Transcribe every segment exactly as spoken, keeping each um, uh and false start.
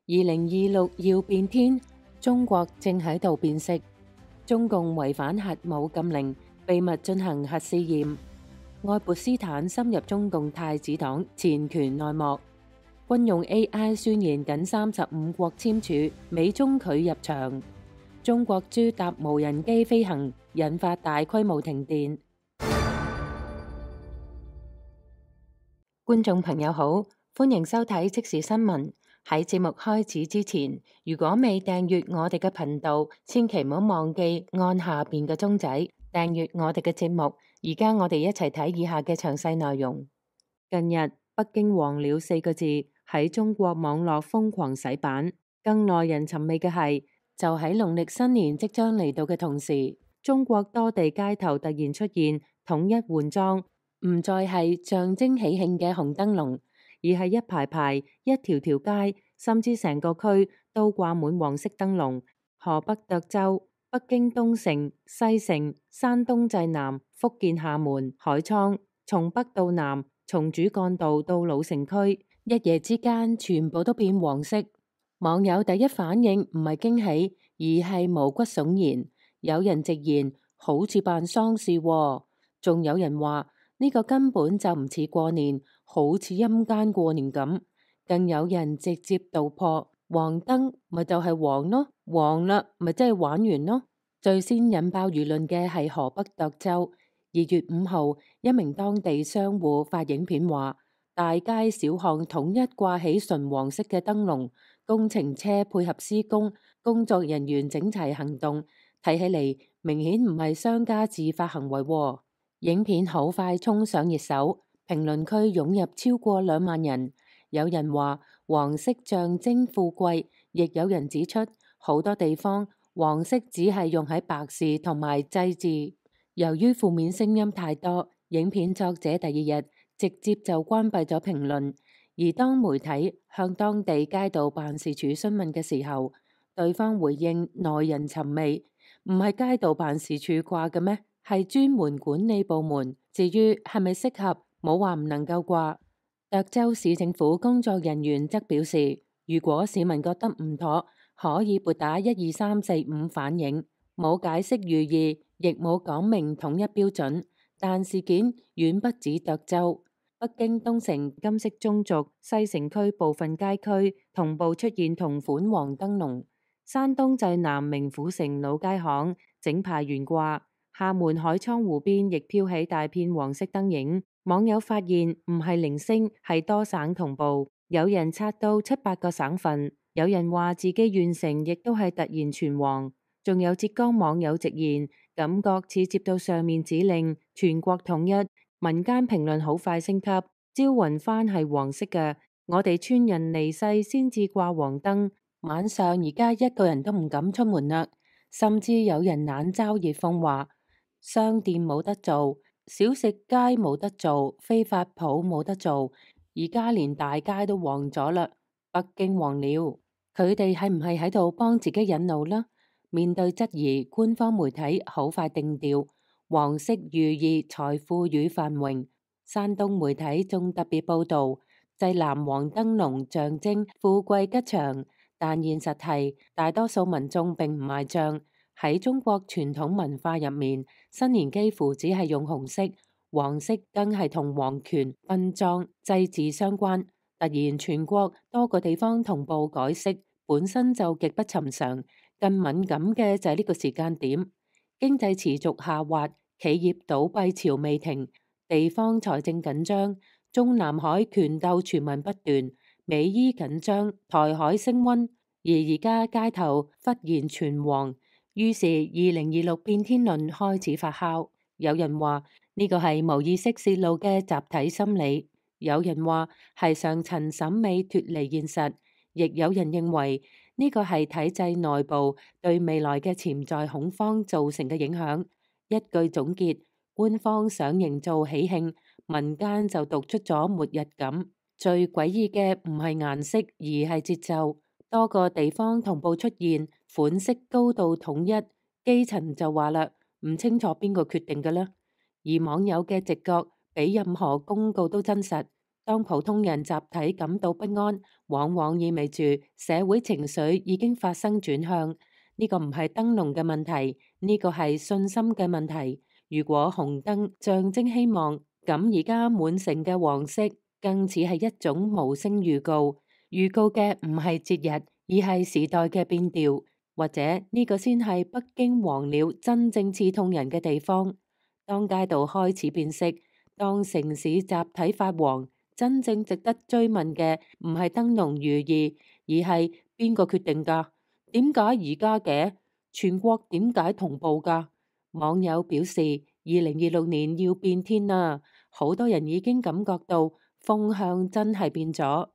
二零二六要變天，中國正喺度變色。中共違反核武禁令，秘密進行核試驗。愛潑斯坦深入中共太子黨前權內幕。軍用 A I 宣言僅三十五國簽署，美中拒入場。中國豬搭無人機飛行，引發大規模停電。觀眾朋友好，歡迎收睇即時新聞。喺節目開始之前，如果未訂閱我哋嘅頻道，千祈唔好忘記按下邊嘅鐘仔訂閱我哋嘅節目。而家我哋一齊睇以下嘅詳細內容。近日，北京黃鳥四個字喺中國網絡瘋狂洗版。更耐人尋味嘅係，就喺農曆新年即將嚟到嘅同時，中國多地街頭突然出現統一換裝，唔再係象徵喜慶嘅紅燈籠，而係一排排、一條條街，甚至成個區都掛滿黃色燈籠。河北涿州、北京東城、西城、山東濟南、福建廈門、海滄，從北到南，從主幹道到老城區，一夜之間全部都變黃色。網友第一反應唔係驚喜，而係毛骨悚然。有人直言好似辦喪事喎，仲有人話呢個根本就唔似過年，好似陰間過年咁。更有人直接道破，黃燈咪就係黃咯，黃啦咪真係玩完咯。最先引爆輿論嘅係河北涿州。二月五號，一名當地商戶發影片話，大街小巷統一掛起純黃色嘅燈籠，工程車配合施工，工作人員整齊行動，睇起嚟明顯唔係商家自發行為喎。影片好快衝上熱搜，評論區湧入超過兩萬人。有人話黃色象徵富貴，亦有人指出好多地方黃色只係用喺白事同埋祭祀。由於負面聲音太多，影片作者第二日直接就關閉咗評論。而當媒體向當地街道辦事處詢問嘅時候，對方回應耐人尋味，唔係街道辦事處掛嘅咩？係專門管理部門。至於係咪適合，冇話唔能夠掛。涿州市政府工作人員則表示，如果市民覺得唔妥，可以撥打一二三四五反映，冇解釋寓意，亦冇講明統一標準。但事件遠不止涿州，北京東城、金色中軸、西城區部分街區同步出現同款黃燈籠，山東濟南明府城老街巷整排懸掛，廈門海滄湖邊亦飄起大片黃色燈影。網友發現唔係零星，係多省同步，有人刷到七八個省份，有人話自己縣城亦都係突然全黃，仲有浙江網友直言感覺似接到上面指令，全國統一。民間評論好快升級，招魂幡係黃色嘅，我哋村人離世先至掛黃燈，晚上而家一個人都唔敢出門啦，甚至有人冷嘲熱諷話商店冇得做，小食街冇得做，非法鋪冇得做，而家連大街都黃咗啦。北京黃了，佢哋係唔係喺度幫自己引路呢？面對質疑，官方媒體好快定調，黃色寓意財富與繁榮。山東媒體仲特別報道，濟南黃燈籠象徵富貴吉祥，但現實係大多數民眾並唔買賬。喺中國傳統文化入面，新年幾乎只係用紅色，黃色更係同皇權、殯葬、祭祀相關。突然全國多個地方同步改色，本身就極不尋常。更敏感嘅就係呢個時間點，經濟持續下滑，企業倒閉潮未停，地方財政緊張，中南海權鬥傳聞不斷，美伊緊張，台海升溫，而而家街頭忽然全黃。於是二零二六變天論開始發酵，有人話呢個係無意識泄露嘅集體心理，有人話係上層審美脫離現實，亦有人認為呢個係體制內部對未來嘅潛在恐慌造成嘅影響。一句總結，官方想營造喜慶，民間就讀出咗末日感。最詭異嘅唔係顏色，而係節奏。多個地方同步出現款式高度統一，基層就話啦，唔清楚邊個決定嘅啦。而網友嘅直覺比任何公告都真實，當普通人集體感到不安，往往意味住社會情緒已經發生轉向。呢個唔係燈籠嘅問題，呢個係信心嘅問題。如果紅燈象徵希望，咁而家滿城嘅黃色更似係一種無聲預告，預告嘅唔係節日，而係時代嘅變調。或者呢個先係北京黃鳥真正刺痛人嘅地方。當街道開始變色，當城市集體發黃，真正值得追問嘅唔係燈籠寓意，而係邊個決定㗎？點解而家嘅？全國點解同步㗎？網友表示，二零二六年要變天啦，好多人已經感覺到風向真係變咗。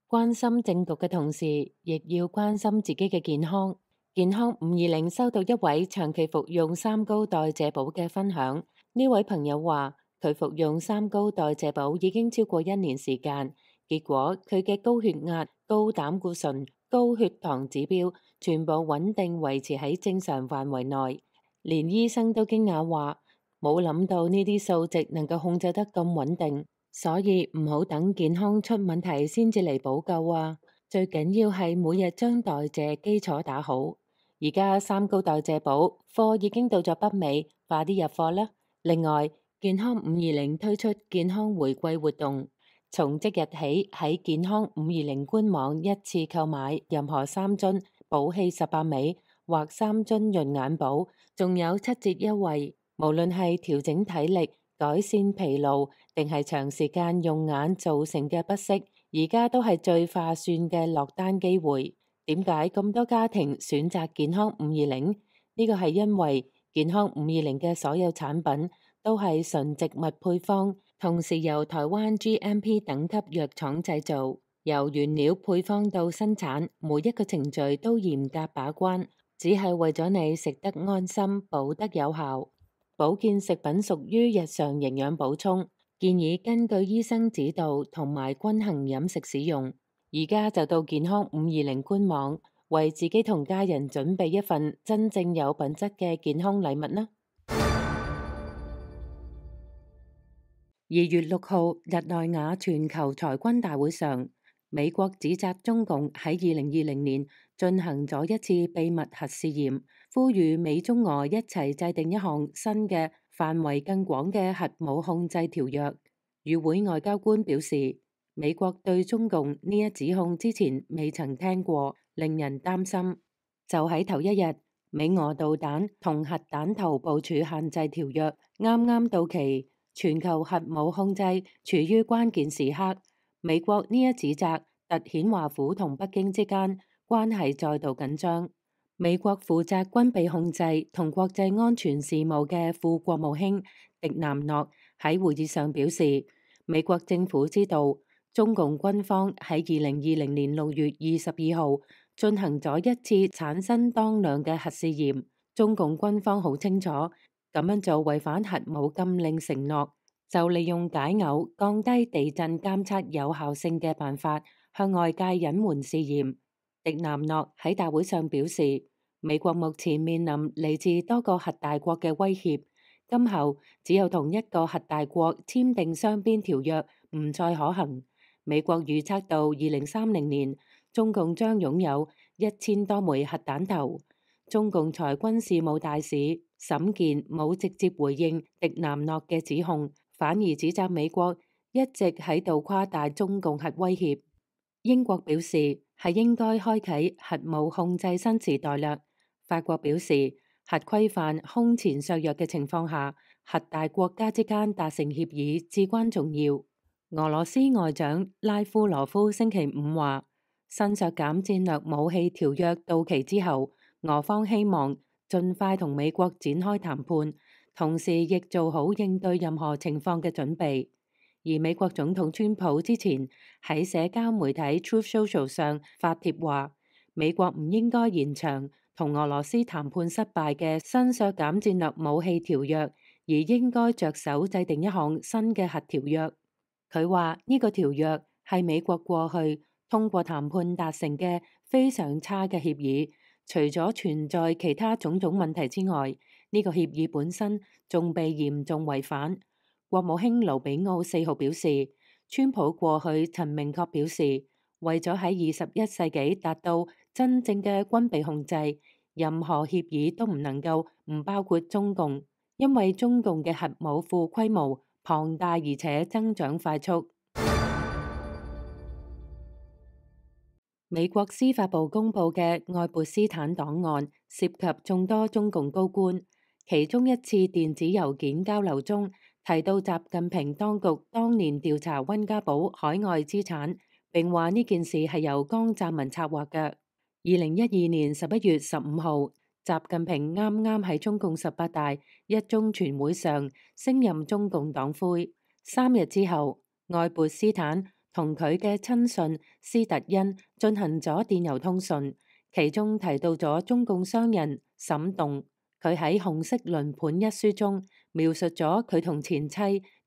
關心政局嘅同時，亦要關心自己嘅健康。健康五二零收到一位長期服用三高代謝寶嘅分享。呢位朋友話，佢服用三高代謝寶已經超過一年時間，結果佢嘅高血壓、高膽固醇、高血糖指標全部穩定維持喺正常範圍內，連醫生都驚訝話，冇諗到呢啲數值能夠控制得咁穩定，所以唔好等健康出問題先至嚟補救啊！最緊要係每日將代謝基礎打好。而家三高代謝寶貨已經到咗北美，快啲入貨啦！另外，健康五二零推出健康回饋活動，從即日起喺健康五二零官網一次購買任何三樽寶氣十八味或三樽潤眼寶，仲有七折優惠。無論係調整體力、改善疲勞，定係長時間用眼造成嘅不適，而家都係最划算嘅落單機會。點解咁多家庭選擇健康五二零？呢個係因為健康五二零嘅所有產品都係純植物配方，同時由台灣 G M P 等級藥廠製造，由原料配方到生產，每一個程序都嚴格把關，只係為咗你食得安心、補得有效。保健食品屬於日常營養補充，建議根據醫生指導同埋均衡飲食使用。而家就到健康五二零官網，為自己同家人準備一份真正有品質嘅健康禮物啦！二月六號，日內瓦全球裁軍大會上，美國指責中共喺二零二零年進行咗一次秘密核試驗，呼籲美中俄一齊制定一項新嘅範圍更廣嘅核武控制條約。與會外交官表示，美國對中共呢一指控之前未曾聽過，令人擔心。就喺頭一日，美俄導彈同核彈頭部署限制條約啱啱到期，全球核武控制處於關鍵時刻。美國呢一指責，凸顯華府同北京之間關係再度緊張。美國負責軍備控制同國際安全事務嘅副國務卿迪南諾喺會議上表示，美國政府知道中共軍方喺二零二零年六月二十二號進行咗一次產生當量嘅核試驗。中共軍方好清楚咁樣做違反核武禁令承諾，就利用解餡降低地震監測有效性嘅辦法向外界隱瞞試驗。迪南諾喺大會上表示，美國目前面臨嚟自多個核大國嘅威脅，今後只有同一個核大國簽訂雙邊條約唔再可行。美國預測到二零三零年，中共將擁有一千多枚核彈頭。中共裁軍事務大使沈健冇直接回應迪南諾嘅指控，反而指責美國一直喺度誇大中共核威脅。英國表示係應該開啟核武控制新時代啦。法國表示核規範空前削弱嘅情況下，核大國家之間達成協議至關重要。俄羅斯外長拉夫羅夫星期五話，新削減戰略武器條約到期之後，俄方希望盡快同美國展開談判，同時亦做好應對任何情況嘅準備。而美國總統川普之前喺社交媒體 Truth Social 上發帖話，美國唔應該延長同俄羅斯談判失敗嘅新削減戰略武器條約，而應該着手制定一項新嘅核條約。佢話呢個條約係美國過去通過談判達成嘅非常差嘅協議，除咗存在其他種種問題之外，呢個協議本身仲被嚴重違反。國務卿盧比奧四號表示，川普過去曾明確表示，為咗喺二十一世紀達到真正嘅軍備控制，任何協議都唔能夠唔包括中共，因為中共嘅核武庫規模龐大而且增長快速。美國司法部公布嘅愛潑斯坦檔案涉及眾多中共高官，其中一次電子郵件交流中提到習近平當局當年調查溫家寶海外資產，並話呢件事係由江澤民策劃嘅。二零一二年十一月十五號，習近平啱啱喺中共十八大一中全會上升任中共黨魁，三日之後，愛潑斯坦同佢嘅親信斯特恩進行咗電郵通訊，其中提到咗中共商人沈棟。佢喺《紅色輪盤》一書中描述咗佢同前妻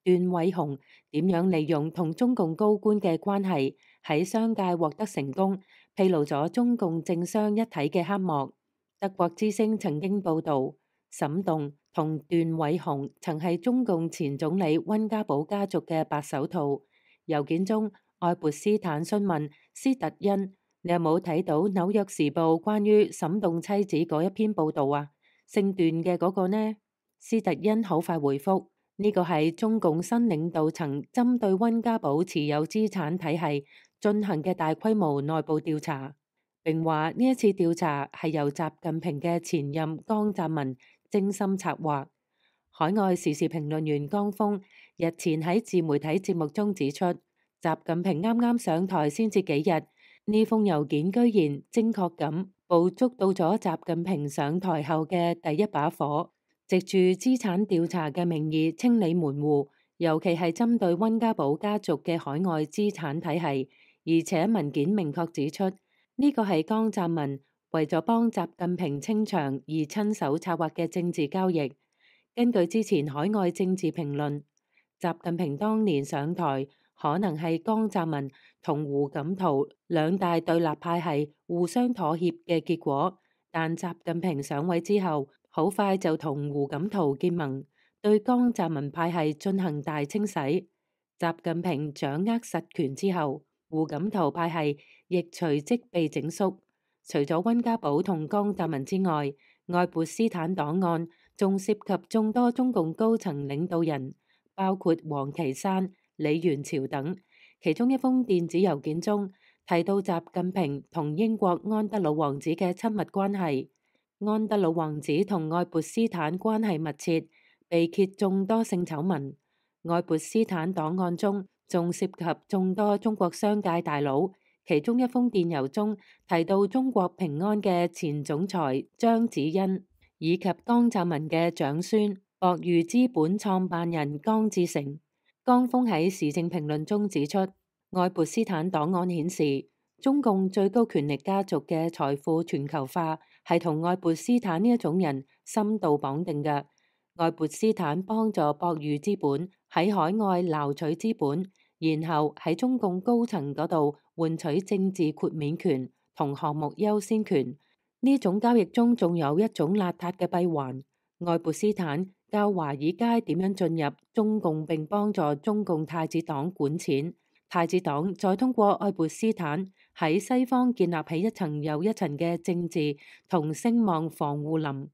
段偉雄點樣利用同中共高官嘅關係喺商界獲得成功，披露咗中共政商一體嘅黑幕。德國之聲曾經報導，沈棟同段偉雄曾係中共前總理溫家寶家族嘅白手套。郵件中，愛潑斯坦詢問斯特恩：你有冇睇到《紐約時報》關於沈棟妻子嗰一篇報導啊？姓段嘅嗰個呢？斯特恩好快回覆：呢個係中共新領導層針對溫家寶持有資產體系進行嘅大規模內部調查，並話呢一次調查係由習近平嘅前任江澤民精心策劃。海外時事評論員江峰日前喺自媒體節目中指出，習近平啱啱上台先至幾日，呢封郵件居然精確咁捕捉到咗習近平上台後嘅第一把火，藉住資產調查嘅名義清理門戶，尤其係針對溫家寶家族嘅海外資產體系，而且文件明確指出呢個係江澤民為咗幫習近平清場而親手策劃嘅政治交易。根據之前海外政治評論，習近平當年上台可能係江澤民同胡錦濤兩大對立派系互相妥協嘅結果，但習近平上位之後，好快就同胡錦濤結盟，對江澤民派系進行大清洗。習近平掌握實權之後，胡錦濤派系亦隨即被整肅。除咗溫家寶同江澤民之外，愛潑斯坦檔案仲涉及眾多中共高層領導人，包括王岐山、李元朝等。其中一封電子郵件中提到習近平同英國安德魯王子嘅親密關係。安德魯王子同愛潑斯坦關係密切，被揭眾多性醜聞。愛潑斯坦檔案中仲涉及眾多中國商界大佬。其中一封電郵中提到中國平安嘅前總裁張子欣，以及江澤民嘅長孫博裕資本創辦人江志成。江峰喺時政評論中指出，愛潑斯坦檔案顯示，中共最高權力家族嘅財富全球化係同愛潑斯坦呢一種人深度綁定嘅。愛潑斯坦幫助博裕資本喺海外撈取資本，然後喺中共高層嗰度換取政治豁免權同項目優先權。呢種交易中仲有一種邋遢嘅閉環，愛潑斯坦教華爾街點樣進入中共並幫助中共太子黨管錢，太子黨再通過愛潑斯坦喺西方建立起一層又一層嘅政治同聲望防護林。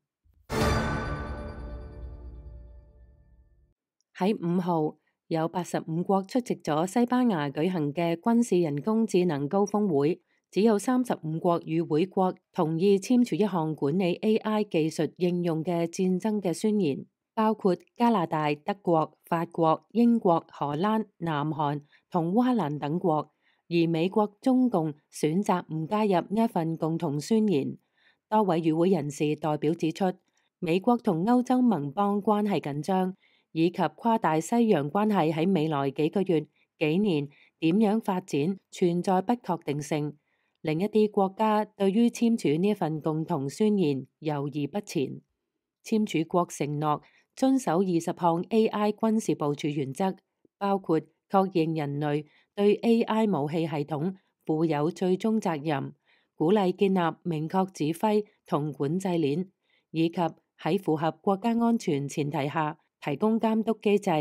喺五號，有八十五國出席咗西班牙舉行嘅軍事人工智能高峰會，只有三十五國與會國同意簽署一項管理 A I 技術應用嘅戰爭嘅宣言，包括加拿大、德國、法國、英國、荷蘭、南韓同烏克蘭等國，而美國、中共選擇唔加入呢一份共同宣言。多位與會人士代表指出，美國同歐洲盟邦關係緊張，以及跨大西洋關係喺未來幾個月、幾年點樣發展存在不確定性。另一啲國家對於簽署呢份共同宣言猶豫不前。簽署國承諾遵守二十項 A I 軍事部署原則，包括確認人類對 A I 武器系統負有最終責任，鼓勵建立明確指揮同管制鏈，以及喺符合國家安全前提下提供監督機制。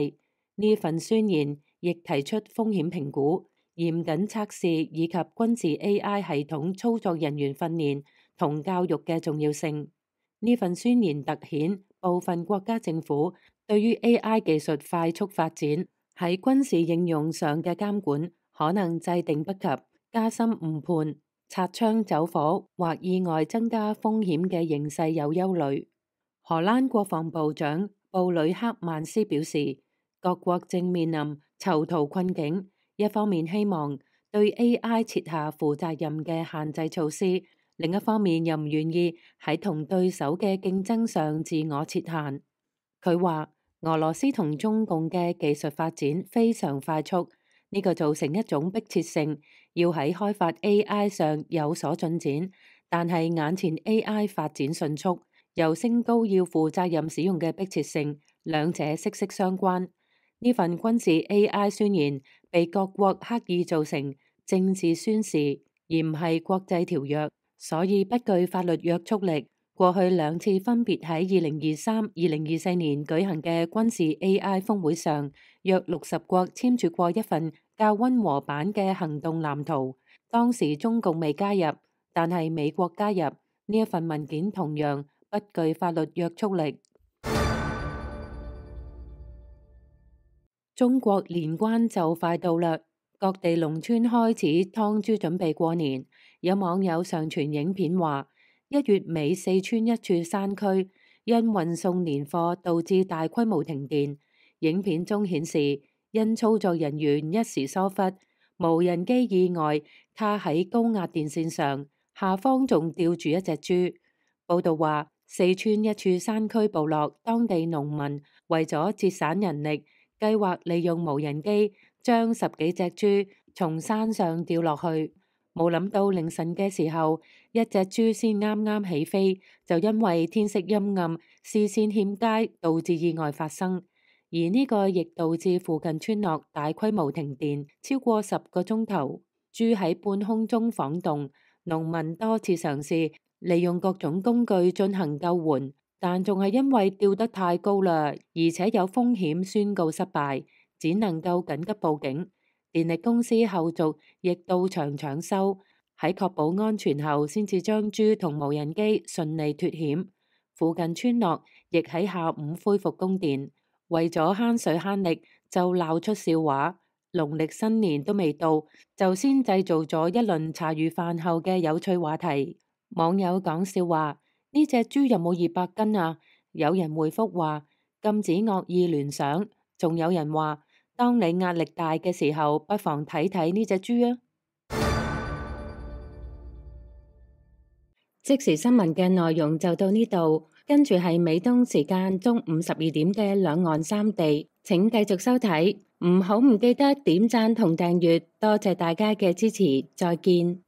呢份宣言亦提出風險評估、嚴謹測試以及軍事 A I 系統操作人員訓練同教育嘅重要性。呢份宣言突顯部分國家政府對於 A I 技術快速發展喺軍事應用上嘅監管可能制定不及，加深誤判、擦槍走火或意外增加風險嘅形勢有憂慮。荷蘭國防部長布呂克曼斯表示，各國正面臨囚徒困境，一方面希望對 A I 設下負責任嘅限制措施，另一方面又唔願意喺同對手嘅競爭上自我設限。佢話，俄羅斯同中共嘅技術發展非常快速，呢個造成一種迫切性，要喺開發 A I 上有所進展。但係眼前 A I 發展迅速，又升高要負責任使用嘅迫切性，兩者息息相關。呢份軍事 A I 宣言被各國刻意做成政治宣示，而唔係國際條約，所以不具法律約束力。過去兩次分別喺二零二三、二零二四年舉行嘅軍事 A I 峰會上，約六十國簽署過一份較溫和版嘅行動藍圖。當時中共未加入，但係美國加入，呢一份文件同樣不具法律約束力。中國年關就快到啦，各地農村開始劏豬準備過年。有網友上傳影片話，一月尾四川一處山區因運送年貨導致大規模停電。影片中顯示，因操作人員一時疏忽，無人機意外卡喺高壓電線上，下方仲吊住一隻豬。報道話，四川一處山區部落當地農民為咗節省人力，計劃利用無人機將十幾隻豬從山上吊落去。冇諗到凌晨嘅時候，一隻豬先啱啱起飛，就因為天色陰暗、視線欠佳，導致意外發生。而呢個亦導致附近村落大規模停電，超過十個鐘頭。豬喺半空中晃動，農民多次嘗試利用各種工具進行救援，但仲係因為吊得太高啦，而且有風險，宣告失敗，只能夠緊急報警。電力公司後續亦到場搶修，喺確保安全後，先至將豬同無人機順利脫險。附近村落亦喺下午恢復供電，為咗慳水慳力，就鬧出笑話。農曆新年都未到，就先製造咗一輪茶餘飯後嘅有趣話題。網友講笑話：呢隻豬有冇二百斤啊？有人回覆話禁止惡意聯想，仲有人話，當你壓力大嘅時候，不妨睇睇呢隻豬啊！即時新聞嘅內容就到呢度，跟住係美東時間中午十二點嘅兩岸三地，請繼續收睇，唔好唔記得點讚同訂閱，多謝大家嘅支持，再見。